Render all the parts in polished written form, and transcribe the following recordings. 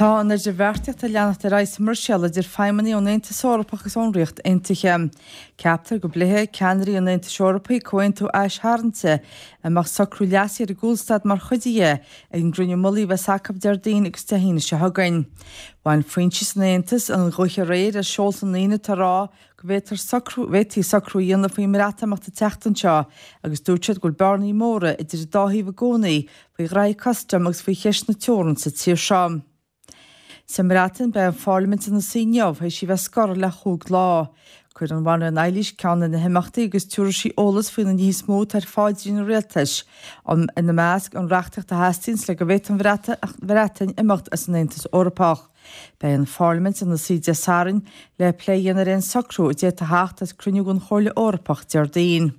Tá an idirbheartaíocht ag leanacht ar aghaidh sa mBruiséil idir feidhmeannaigh ón Aontas Eorpach agus ón Ríocht Aontaithe. Ceaptar go bpléifidh ceannairí an Aontais Eorpaigh comhaontú aistarraingte, a mbeadh socrú leasaithe ar an gcúlstad mar chuid dhe, ag an gcruinniú mullaigh a bheas acu Déardaoin agus Dé hAoine seo chugainn. Bhain foinsí san Aontas an ghaoth aréir as seolta na ndaoine atá ag rá go bhféadfar socrú, bhféadfaí socrú a dhéanamh faoin mBreatimeacht an tseachtain seo agus dúirt siad go bhfuil bearnaí móra idir an dá thaobh i gcónaí faoi ghraithí custaim agus faoi cheist na teorann sa tír seo. Sa mBreatain, beidh an pharlaimint ina suí inniu théis í bheith scortha le chúig lá. Cuirfidh an Bhanríon Eilís ceann de na himeachtaí agus tabharfaidh sí eolas faoi na nithe is mó atá ar pháidrín an rialtais, ina measc an reachtaíocht a theastaíonns le go bhféadfadh an Bhreatain imeacht as an Aontas Eorpach. Beidh an Pharlaimint ina suí Dé Sathairn le plé a dhéanamh ar aon socrú a d'fhéadfadh theacht as cruinniú den Chomhairle Eorpach Déardaoin.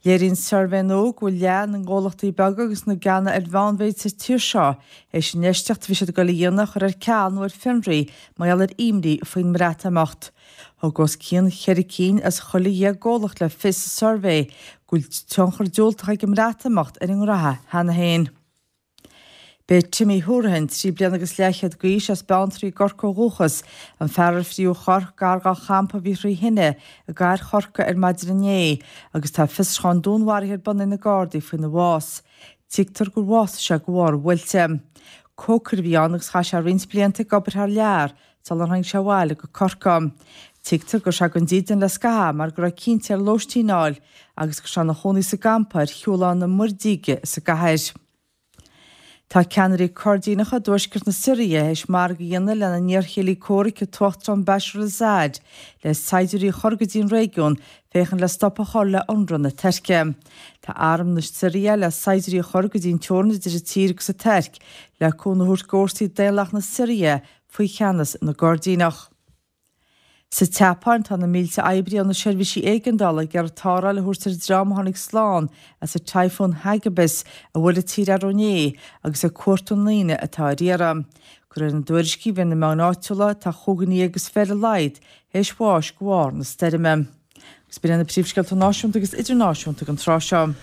Léiríonn suirbhé nua go bhfuil leath na ngnólachtaí beaga agus na gceanna ar mheánmhéid sa tír seo théis an infheistíocht a bhí siad ag dul a dhéanamh a chur ar ceal nó ar fionraí mar gheall ar imní faoin mBreatimeacht. Thug os cionn cheithre cinn as chuile dheich gcomhlacht le fios sa suirbhé go bhfuil tionchar diúltach ag an mBreatimeacht ar a ngraithe cheana féin. B'é Timmy Hourihane, 3 bliana agus leathchéad d'aois, as Beanntraí i gCorcaigh ó dhúchas, an fear ar fríothadh a chorp gar dá champa a bhí thrí thine i gcathair Chorcaí ar maidin inné agus tá fiosrúchán dúnmharaithe ar bun ag na Gardaí faoina bhás. Tuigtear gur bhásaigh sé de bharr an bhuailte. Cócaire a bhí ann agus chaith sé roinnt blianta ag obair thar lear sular tháinig sé abhaile go Corcaigh. Tuigtear go raibh sé gan dídean le scaitheamh mar go raibh cinnte air lóistín a fháil agus go raibh sé ina chónaí sa gcampa ar Shiúlán na Muirdíge sa gcathair. Tá ceannairí Coirdíneacha i dtuaisceart na Siria théis margadh a dhéanamh lena n-iarchéilí comhraic an tUachtarán Bashar al-Assad le saighdiúirí a chur go dtí an réigiún féachaint le stop a chur le hionradh na Tuirce. Tá arm na Siria le saighdiúirí a chur go dtí an teorainn idir an tír agus an Tuirc le cúnamh a thabhairt d'fhórsaí daonlathacha na Siria faoi cheannas na gCoirdíneach. Sa tSeapáin, tá na mílte oibrí ó na seirbhísí éigeandála ag iarraidh tarrtháil a thabhairt ar an dream a tháinig slán as an Typhoon Hagibis a bhuail an tír arú inné agus ag cuartú na ndaoine atá ar iarraidh. De réir na dtuairiscí a bhí ar na meáin áitiúla, tá chúig dhuine déag is fiche ar a laghad théis bháis de bharr na stoirme. Agus b'in iad na príomhscéalta náisiúnta agus idirnáisiúnta don tráth seo.